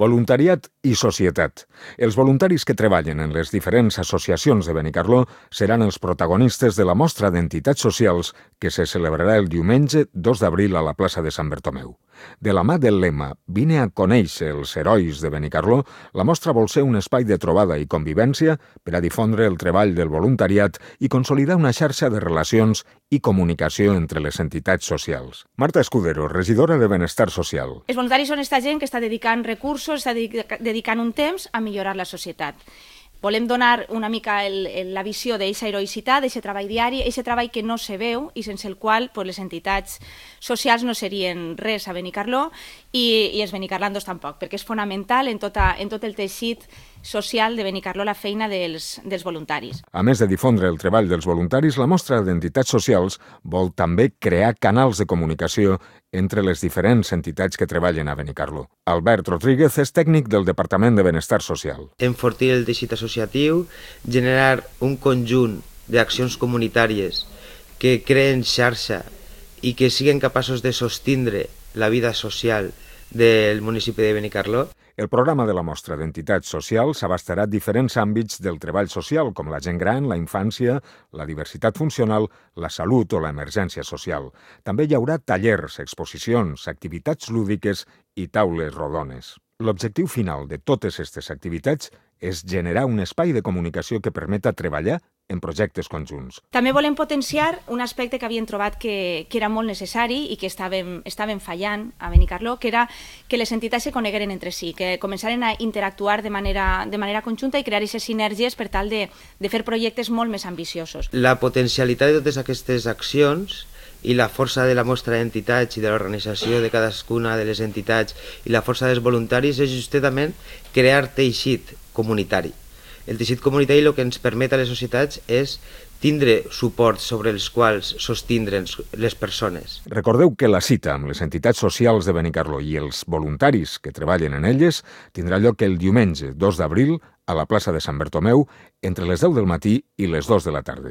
Voluntariat i societat. Els voluntaris que treballen en les diferents associacions de Benicarló seran els protagonistes de la mostra d'entitats socials que se celebrarà el diumenge 2 d'abril a la plaça de Sant Bertomeu. De la mà del lema «Vine a conèixer els herois de Benicarló», la mostra vol ser un espai de trobada i convivència per a difondre el treball del voluntariat i consolidar una xarxa de relacions i comunicació entre les entitats socials. Marta Escudero, regidora de Benestar Social. Els voluntaris són aquesta gent que està dedicant recursos, està dedicant un temps a millorar la societat. Volem donar una mica la visió d'aquesta heroïcitat, d'aquest treball diari, aquest treball que no se veu i sense el qual les entitats socials no serien res a Benicarló i els benicarlandos tampoc, perquè és fonamental en tot el teixit social de Benicarló la feina dels voluntaris. A més de difondre el treball dels voluntaris, la mostra d'entitats socials vol també crear canals de comunicació entre les diferents entitats que treballen a Benicarló. Albert Rodríguez és tècnic del Departament de Benestar Social. Enfortir el teixit associatiu, generar un conjunt d'accions comunitàries que creen xarxa i que siguin capaços de sostindre la vida social del municipi de Benicarló. El programa de la mostra d'entitats socials abastarà diferents àmbits del treball social, com la gent gran, la infància, la diversitat funcional, la salut o l'emergència social. També hi haurà tallers, exposicions, activitats lúdiques i taules rodones. L'objectiu final de totes aquestes activitats és generar un espai de comunicació que permeta treballar en projectes conjunts. També volem potenciar un aspecte que havíem trobat que era molt necessari i que estàvem fallant a Benicarló, que era que les entitats se conegueren entre si, que començaren a interactuar de manera conjunta i crear aquestes sinergies per tal de fer projectes molt més ambiciosos. La potencialitat de totes aquestes accions i la força de la mostra d'entitats i de l'organització de cadascuna de les entitats i la força dels voluntaris és justament crear teixit comunitari. El teixit comunitari el que ens permet a les societats és tindre suports sobre els quals sostindre les persones. Recordeu que la cita amb les entitats socials de Benicarló i els voluntaris que treballen en elles tindrà lloc el diumenge 2 d'abril a la plaça de Sant Bertomeu entre les 10 del matí i les 2 de la tarda.